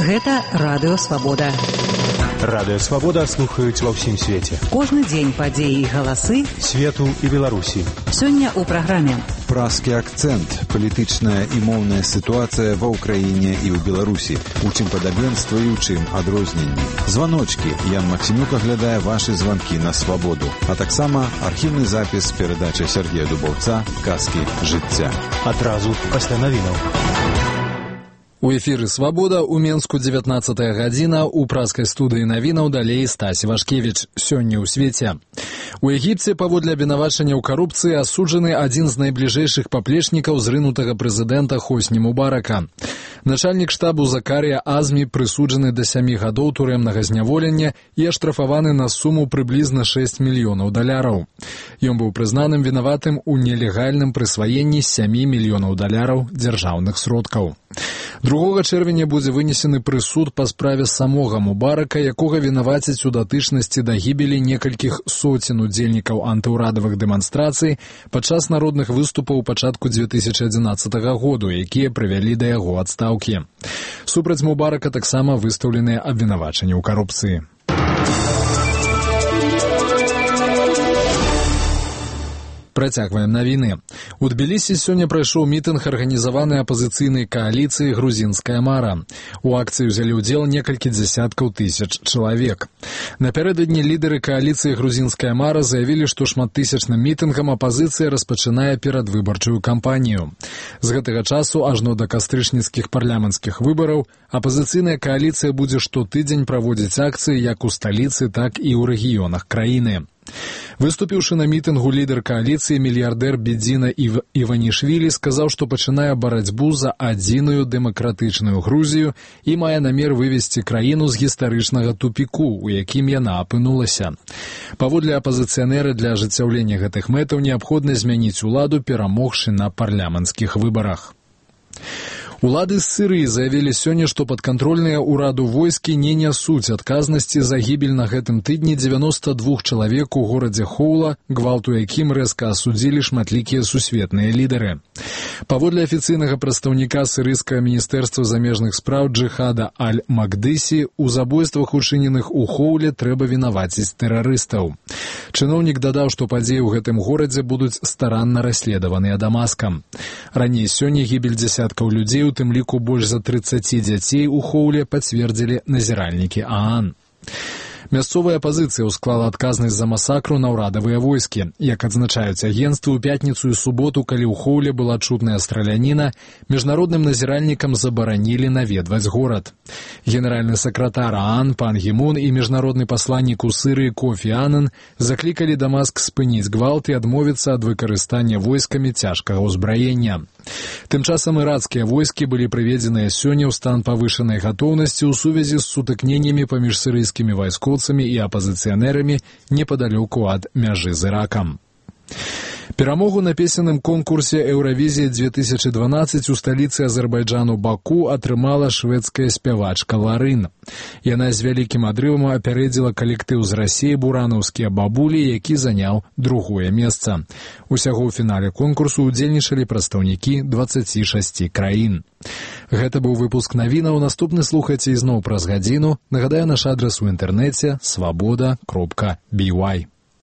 Гэта Радыё Свабода. Радыё Свабода слухаюць ва ўсім свеце. Кожны дзень падзеі і галасы свету і Беларусі. Сёння ў праграме «Празкі акцэнт. Палітычная і моўная сітуацыя ва ўкраіне і ў Беларусі. У чым падабенства і ў чым адрозненні. Званочкі. Ян Максімюк аглядае вашы званкі на Свабоду. А таксама архіўны запіс перадачы Сергея Дубаўца «Казкі жыцця». Адразу пасля навінаў. У эфіры «Свабода» у Менску 19-я гадзіна, у празкай студыі навінаў далей Стась Вашкевіч. Сёння ў свеце. У Егіпце паводле абвінавачання ў карупцыі асуджаны адзін з найбліжэйшых паплечнікаў зрынутага прэзідэнта Хосні Мубарака. Начальнік штабу Закарія Азмі прысуджаны да 7 гадоў турэмнага зняволення і аштрафаваны на суму прыблізна $6 мільёнаў. Ён быў прызнаным вінаватым у нелегальным прысваенні $7 мільёнаў дзяржаўных сродкаў. 2 чэрвеня будзе вынесены прысуд па справе самога Мубарака, якога вінавацяць у датычнасці да гібелі некалькіх соцень удзельнікаў антыўрадавых дэманстрацый падчас народных выступаў у пачатку 2011 году, якія прывялі да яго адстаўкі. Супраць Мубарака таксама выстаўленыя абвінавачанні ў карупцыі. Працягваем навіны. У Тбілісі сёння прайшоў мітынг арганізаванай апазіцыйнай кааліцыі «Грузінская мара». У акцыі ўзялі ўдзел некалькі дзясяткаў тысяч чалавек. Напярэдадні лідары кааліцыі «Грузінская мара» заявілі, што шматтысячным мітынгам апазіцыя распачынае перадвыбарчую кампанію. З гэтага часу ажно да кастрычніцкіх парламенцкіх выбараў апазіцыйная кааліцыя будзе штотыдзень праводзіць акцыі як у сталіцы, так і ў рэгіёнах краіны. Выступіўшы на мітынгу, лідар кааліцыі мільярдэр Бедзіна Іванішвілі сказаў, што пачынае барацьбу за адзіную дэмакратычную Грузію і мае намер вывесці краіну з гістарычнага тупіку, у якім яна апынулася. Паводле апазіцыянера, для ажыццяўлення гэтых мэтаў неабходна змяніць уладу, перамогшы на парламенцкіх выбарах. Улады з Сірыі заявілі сёння, што падкантрольныя ўраду войскі не нясуць адказнасці за гібель на гэтым тыдні 92 чалавек у горадзе Хоула, гвалту якім рэзка асудзілі шматлікія сусветныя лідары. Паводле афіцыйнага прадстаўніка сірыйскага міністэрства замежных спраў Джихада Аль-Макдысі, у забойствах, учыненых у Хоуле, трэба вінаваціць тэрарыстаў. Чыноўнік дадаў, што падзеі ў гэтым горадзе будуць старанна расследаваныя Дамаскам. Раней сёння гібель дзясяткаў людзей, у тым ліку больш за 30 дзяцей у Хоуле, пацвердзілі назіральнікі ААН. Мясцовая апазіцыя ўсклала адказнасць за масакру на ўрадавыя войскі. Як адзначаюць агенцтвы, у пятніцу і суботу, калі ў Хоуле была чутная страляніна, міжнародным назіральнікам забаранілі наведваць горад. Генеральны сакратар ААН пан Гі Мун і міжнародны пасланнік у Сірыі Кофі Анан заклікалі Дамаск спыніць гвалт і адмовіцца ад выкарыстання войскамі цяжкага ўзбраення. Тым часам ірацкія войскі былі прыведзеныя сёння ў стан павышанай гатоўнасці ў сувязі з сутыкненнямі паміж сірыйскімі вайскоўцамі і апазіцыянэрамі непадалёку ад мяжы з Іракам. Перамогу на песенным конкурсе «Еўравізія-2012» у сталіцы Азербайджану Баку атрымала шведская спявачка Ларын. Яна з вялікім адрывам апярэдзіла калектыў з Расіі «Буранаўскія бабулі», які заняў 2-е месца. Усяго ў фінале конкурсу ўдзельнічалі прадстаўнікі 26 краін. Гэта быў выпуск навінаў. Наступны слухайце ізноў праз гадзіну. Нагадаю, наш адрас у інтэрнэце свабода.by.